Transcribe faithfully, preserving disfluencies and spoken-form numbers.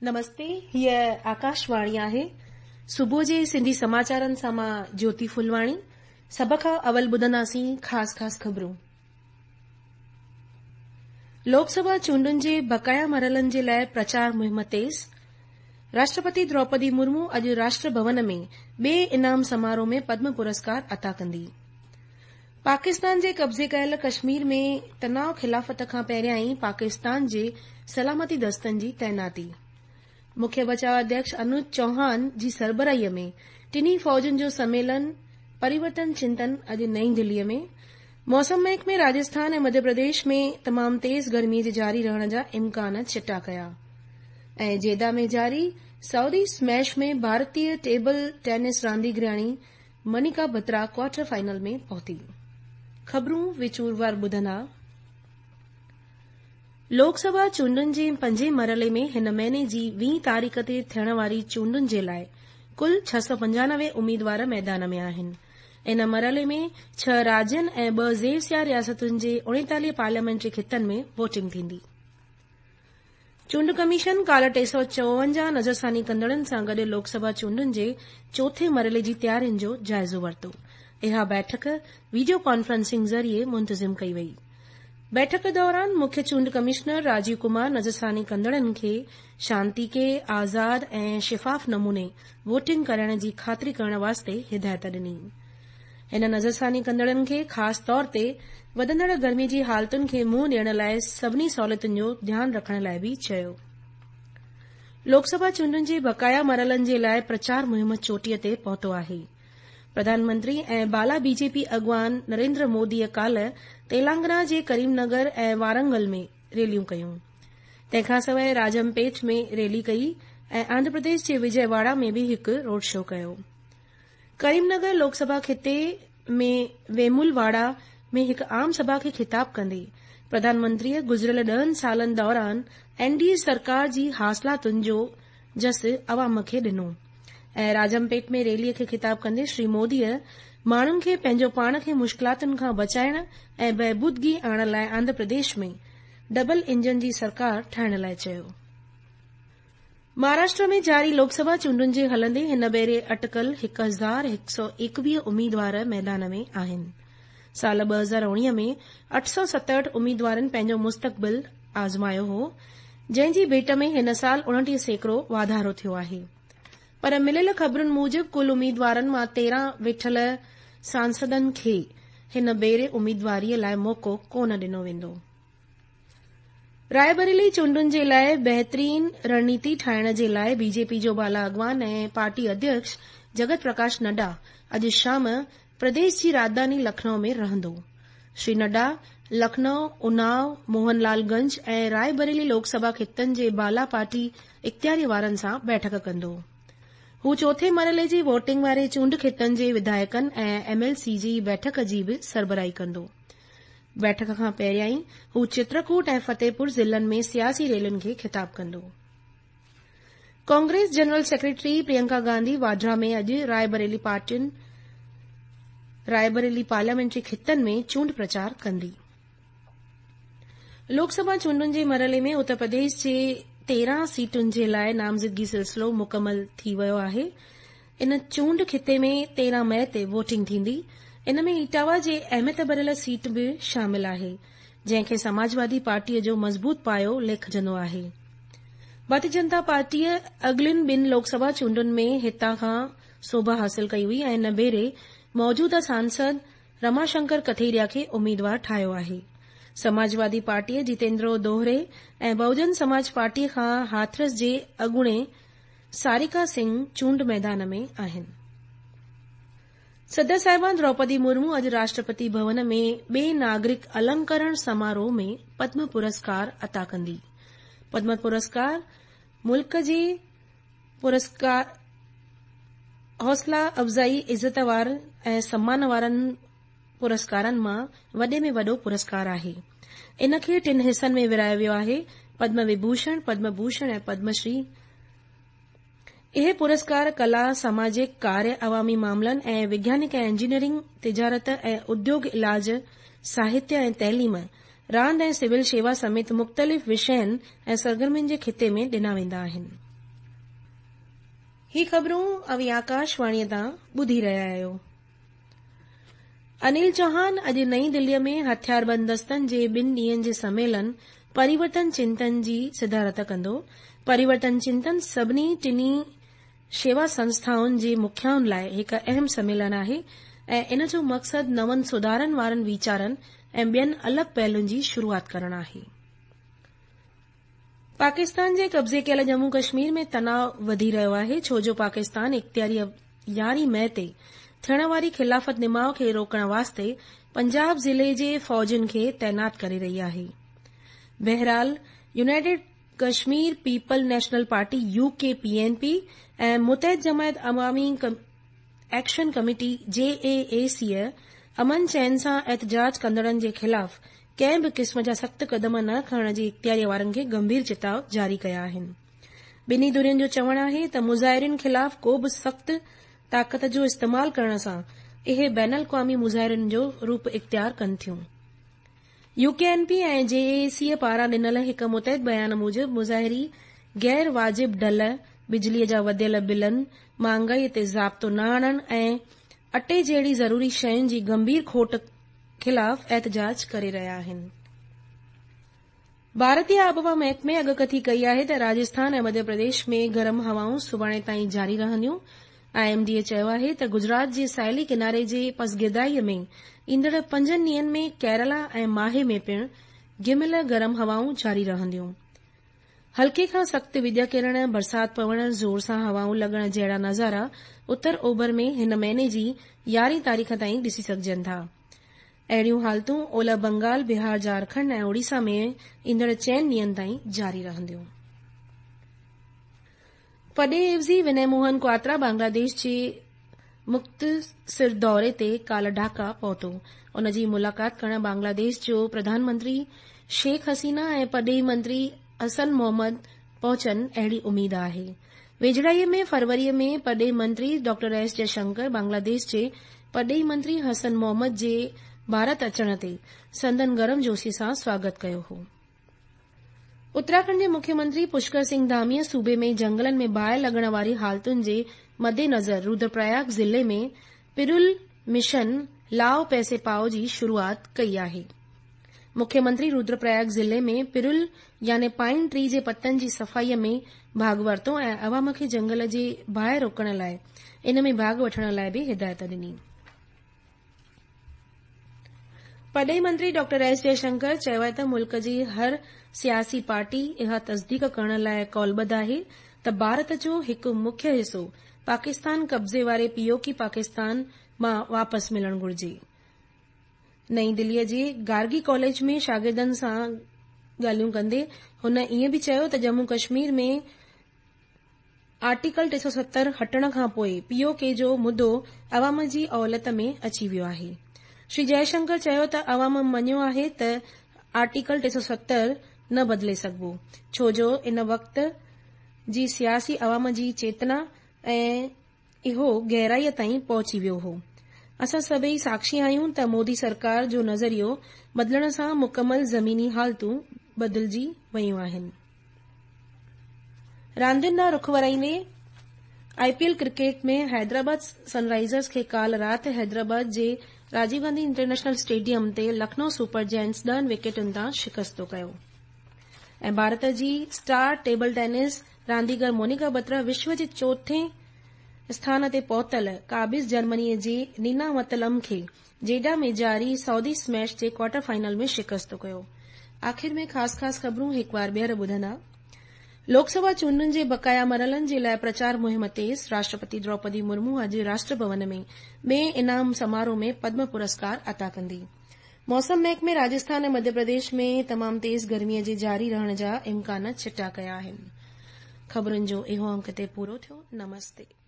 نمستي، هيء آڪاشواڻي آهي. صبح جي سنڌي سماچارن سان مان جيوتي ڦلواڻي. سڀ کان اول ٻڌنداسين خاص خاص خبرون. لوڪ سڀا چونڊن جي بقايا مرحلن جي لاء پرچار مهم تيز. راشٽرپتي دروپدي مرمو اڄ راشٽر ڀون ۾ ٻئي انعام سماروهه ۾ پدم پرسڪار عطا ڪندي. پاڪستان جي قبضي ڪيل ڪشمير ۾ تناءُ خلافت کان پهريان ئي پاڪستان جي سلامتي دستن جي تعيناتي. مکيه بچاءُ اڌيڪش انوج چوهان جي سربراهيءَ ۾ ٽنهي فوجن جو سميلن پريورتن چنتن اڄ نئين دليءَ ۾. موسم محڪمي راجسٿان ۽ مڌيه پرديش ۾ تمام تيز گرميءَ جي جاري رهڻ جا امڪان چٽا ڪيا. ۽ جيدا ۾ جاري سعودي اسميش ۾ ڀارتيه ٽيبل ٽينس رانديگرياڻي منيڪا بترا ڪوارٽر فائنل ۾ پهتي. خبرون وچوروار ٻڌندا. لوڪ سڀا چونڊن جي پنجين مرحلي ۾ هن مهيني جي ويهين تاريخ تي ٿيڻ واري چونڊن جي لاءِ ڪل ڇهه سؤ پنجانوي اميدوار ميدان ۾ آهن. ان مرحلي ۾ ڇهه راجين ۽ ٻه زير رياستن جي اڻيتاليهه پارليامينٽري خطن ۾ ووٽنگ ٿيندي. چونڊ ڪميشن ڪالهه ٽي سؤ چوونجاهه نظرثاني ڪندڙن سان گڏ لوڪ سڀا چونڊن جي چوٿين مرحلي جي تيارين جو جائزو ورتو. اها بيٺڪ وڊيو ڪانفرنسنگ ذريعي منتظم ڪئي وئي. بيٺڪ دوران مکيه چونڊ ڪمشنر راجيو ڪمار نظرثاني ڪندڙن کي شانتيڪي، آزاد ۽ شفاف نموني ووٽنگ ڪرائڻ جي خاطري ڪرڻ واسطي هدايت ڏني. هن نظرثاني ڪندڙن کي خاص طور تي وڌندڙ گرمي جي حالتن کي منهن ڏيڻ لاءِ سڀني سهوليتن جو ڌيان رکڻ لاءِ به چيو. لوڪ سڀا چونڊن جي بقايا مرحلن جي لاءِ پرچار مهم چوٽيءَ تي پهتو آهي. پرڌان منتري ۽ بالا بي جي پي اڳواڻ نريندر موديءَ ڪالهه تيلنگانا جي ڪريم نگر ۽ وارنگل ۾ ريليون ڪيون. تنهن کان سواءِ راجمپيٽ ۾ ريلي ڪئي ۽ آنڌرا پرديش جي وجي واڙا ۾ به هڪ روڊ شو ڪيو. ڪريم نگر لوڪ سڀا خطي ۾ ويمول واڙا ۾ هڪ عام سڀا کي خطاب ڪندي پرڌان منتريءَ گذريل ڏهن سالن دوران اين ڊي اي سرڪار جي حاصلاتن جو جس عوام کي ڏنو. ۽ راجمپيٽ ۾ ريليءَ کي خطاب ڪندي شري موديءَ ماڻهن کي پنهنجو پاڻ کي مشڪلاتن کان بچائڻ ۽ بهبودگي آڻڻ لاءِ آنڌرا پرديش ۾ ڊبل انجن جي سرڪار ٺاهڻ لاءِ چيو. مهاراشٽر ۾ جاري لوڪ سڀا چونڊن جي هلندي هن ڀيري اٽڪل هڪ هزار هڪ سؤ ايڪويهه اميدوار ميدان ۾ آهن. سال ٻه هزار اڻويهه ۾ اٺ سؤ ستهٺ اميدوارن پنهنجو مستقبل آزمايو هو، جنهن جي ڀيٽ ۾ هن سال اڻٽيهه سيڪڙو واڌارو ٿيو آهي. پر مليل خبرن موجب ڪل اميدوارن مان تيرهن ويٺل سانسدن کي هن ڀيري اميدواريءَ لاءِ موقعو ڪونه ڏنو ويندو. رائي بريلي چونڊن جي لاءِ بهترين رڻنيتي ٺاهڻ جي لاءِ بي جي پي جو بالا اڳواڻ ۽ پارٽي اڌيڪش جگت پرڪاش نڊا اڄ شام پرديش جي راڄڌاني لکنؤ ۾ رهندو. شري نڊا لکنؤ، اناو، موهن لال گنج ۽ رائي بريلي لوڪ سڀا خطن جي بالا پارٽي اختياري وارن سان بيٺڪ ڪندو. هو چوٿين مرحلي جي ووٽنگ واري چونڊ خطن جي وڌايڪن ۽ ايم ايل سي جي بيٺڪ جي به سربراهي ڪندو. بيٺڪ کان پهريان هو چترڪوٽ ۽ فتيپور ضلعن ۾ سياسي ريلين کي خطاب ڪندو. ڪانگريس جنرل سيڪريٽري پريانڪا گانڌي واڌرا ۾ اڄ رائي پارٽين رائي بريلي پارليامينٽري خطن ۾ چونڊ پرچار ڪندي. لوڪ سڀا چونڊن جي مرحلي ۾ اتر پرديش جي تيرهن سيٽن جي لاءِ نامزدگي سلسلو مڪمل ٿي ويو آهي. ان چونڊ خطي ۾ تيرهن مئي تي ووٽنگ ٿيندي. ان ۾ اٽاوا جي اهميت ڀريل سيٽ به شامل آهي، جنهن کي سماجوادي پارٽيءَ جو مضبوط پايو ليکجندو آهي. ڀارتيه جنتا پارٽيءَ اڳلين ٻن لوڪ سڀا چونڊن ۾ هتان کان سوڀ حاصل ڪئي هئي ۽ هن ڀيري موجوده سانسد رماشنڪر ڪٿيريا کي اميدوار ٺاهيو آهي. سماجوادي پارٽيءَ جتيندر دوهري ۽ بهوجن سماج پارٽيءَ کان هاٿرس جي اڳوڻي ساريڪا سنگهه چونڊ ميدان ۾ آهن. صدر صاحبان دروپدي مرمو اڄ راشٽرپتي ڀون ۾ ٻئي ناگرڪ النڪرڻ سماروهه ۾ پدم پرسڪار عطا ڪندي. پدم پرسڪار ملڪ جي پرسڪار حوصلا افزائي، عزت وارن ۽ سمان وارن پرسڪارن مان وڏي ۾ وڏو پرسڪار آهي. ان کي ٽن حصن ۾ ورهايو ويو آهي: پدم وڀوشڻ، پدم ڀوشڻ ۽ پدم شري. اهي پرسڪار ڪلا، ساماجڪ ڪاريه، عوامي معاملن ۽ وگيانڪ ۽ انجنيئرنگ، تجارت ۽ اديوگ، علاج، ساهتيه ۽ تعليم، راند ۽ سول شيوا سميت مختلف وشين ۽ سرگرمين جي خطي ۾ ڏنا ويندا آهن. ही ख़बरूं अव्हीं आकाशवाणीअ तां ॿुधी रहिया आहियो। अनिल चौहान अॼु नई दिल्लीअ में हथियारबंद दस्तनि जे ॿिनि ॾींहंनि जे सम्मेलन परिवर्तन चिंतन जी सदारत कंदो। परिवर्तन चिंतन सभिनी टिनी शेवा संस्थाउनि जे मुखियाउनि लाइ हिकु अहम सम्मेलन आहे ऐं इन जो मक़सदु नवनि सुधारनि वारनि वीचारनि ऐं ॿियनि अलॻि पहलुनि जी शुरूआत करणु आहे। पाकिस्तान जे कब्ज़े कयल जम्मू कश्मीर में तनाव वधी रहियो आहे, छो जो पाकिस्तान इख़्तियारी यारहीं मई ते थियण वारी ख़िलाफ़त निमाव खे रोकण वास्ते पंजाब ज़िले जे फ़ौजुनि खे तैनात करे रही आहे। बहरहाल, United Kashmir People National Party U K P N P ऐं Muttahida Jamiat Awami Action Committee J A A C अमन चैन सां एहतजाज कंदड़नि जे ख़िलाफ़ कंहिं बि क़िस्म जा सख़्त क़दम न खणण जी इख़्तियारीअ वारनि खे गंभीर चिताव जारी कया आहिनि। ॿिन्ही धुरियुनि जो चवणु आहे त मुज़ाहिरिन ख़िलाफ़ को बि सख़्त ताक़त जो इस्तेमाल करण सां इहे बैन अल-अक़वामी मुज़ाहिरनि जो रूप इख़्तियार कनि थियूं। You K N P ऐं जे ए सी पारां ॾिनल हिकु मुतहद बयान मूजिबि मुज़ाहिरी गैर वाजिब ढल, बिजलीअ जा वधियल बिलनि, महांगाईअ ते ज़ाब्तो न आणण ऐं अटे जहिड़ी ज़रूरी शयुनि जी गंभीर खोट ख़िलाफ़ एहतजाज करे रहिया आहिनि। भारतीय आबहवा महकमे अॻकथी कई आहे त राजस्थान ऐं मध्य प्रदेश में गरम हवाऊं सुभाणे ताईं जारी रहंदियूं। I am D A चयो आहे त गुजरात जे साहिली किनारे जे पसगिर्दाईअ में ईंदड़ पंजनि ॾींहंनि में केरला ऐं माहे में पिणु घिमिल गरम हवाऊं जारी रहंदियूं। हल्के खां सख़्त विॼ किरण, बरसाति पवण, ज़ोर सां हवाऊं लॻण जहिड़ा नज़ारा उत्तर ओभर में हिन महीने जी यारहीं तारीख़ ताईं ॾिसी सघिजनि था। अहिड़ियूं हालतूं ओलह बंगाल, बिहार, झारखंड ऐं ओडिशा में ईंदड़ चइनि ॾींहंनि ताईं जारी रहंदियूं। पॾे एवज़ी विनय मोहन क्वात्रा बांग्लादेश जे मुख़्तसिर दौरे ते काल्ह ढाका पहुतो। उन जी मुलाक़ात करण बांग्लादेश जो प्रधानमंत्री शेख हसीना ऐं पॾेही मंत्री हसन मोहम्मद पहुचनि अहिड़ी उमेद आहे। वेझड़ाईअ में फरवरीअ में पॾेही मंत्री डॉक्टर एस जयशंकर बांग्लादेश जे पॾेही मंत्री हसन मोहम्मद जे भारत अचण ते संदन गर्मजोशी सां स्वागत कयो हो। उत्तराखंड जे मुख्यमंत्री पुष्कर सिंह धामीअ सूबे में जंगलनि में बाहि लॻण वारी हालतुनि जे मद्देनज़र रुद्रप्रयाग ज़िले में पिरुल मिशन लाओ पैसे पाओ जी शुरूआत कई आहे। मुख्यमंत्री रुद्रप्रयाग ज़िले में पिरुल यानी पाइन ट्री जे पतनि जी सफ़ाईअ में भाॻ वरितो ऐं अवाम खे जंगल जे बाहि रोकण लाइ इन में भाॻ वठण लाइ बि हिदायत ॾिनी। पॾेही मंत्री डॉक्टर एस जयशंकर चयो आहे त मुल्क जी हर सियासी पार्टी इहा तस्दीक करण लाइ कौलबद्ध आहे त भारत जो हिकु मुख्य हिसो पाकिस्तान कब्ज़े वारे पीओके पाकिस्तान मां वापसि मिलणु घुरिजे। नई दिल्लीअ जे गार्गी कॉलेज में शागिर्दनि सां ॻाल्हियूं कंदे हुन ईअं बि चयो त जम्मू कश्मीर में आर्टिकल टे सौ सत्तर हटण खां पोइ पीओके जो मुद्दो अवाम जी अवलियत में अची वियो आहे। श्री जयशंकर चयो त अवाम मञियो आहे त आर्टिकल टे सौ सत्तर न बदिले सघिबो, छो जो इन वक़्त जी सियासी अवाम जी चेतना ऐं इहो गहराईअ ताईं पहुची वियो हो। असां सभई साक्षी आहियूं त मोदी सरकार जो नज़रियो बदिलण सां मुकमल ज़मीनी हालतूं बदिलजी वयूं आहिनि। रांदियुनि ॾांहुं रुख वराईंदे I P L cricket में हैदराबाद सनराइज़र्स खे काल्ह राति हैदराबाद जे राजीव गांधी इंटरनेशनल स्टेडियम ते लखनऊ सुपर जायंट्स ॾहनि विकेटुनि तां शिकस्तो कयो। ऐं भारत जी स्टार टेबल टेनिस रांदीगर मोनिका बत्रा विश्व जे चोथें स्थान ते पहुतल क़ाबिज़ जर्मनीअ जे नीना मतलम खे जेडा में जारी सऊदी स्मैश जे क्वार्टर फाइनल में शिकस्तो कयो। आख़िर में ख़ासि ख़ासि ख़बरूं हिकु वार ॿीहर ॿुधंदा। लोकसभा चूंडुनि जे बक़ाया मरहलनि जे लाइ प्रचार मुहिम तेज़। राष्ट्रपति द्रौपदी मुर्मू अॼु राष्ट्र भवन में ॿिए इनाम समारोह में पद्म पुरस्कार अता कंदी। मौसम महकमे राजस्थान ऐं मध्य प्रदेश में तमामु तेज़ गर्मीअ जे जारी रहण जा इम्कान चिटा कया आहिनि। ख़बरुनि जो इहो अंक हिते पूरो थियो। नमस्ते।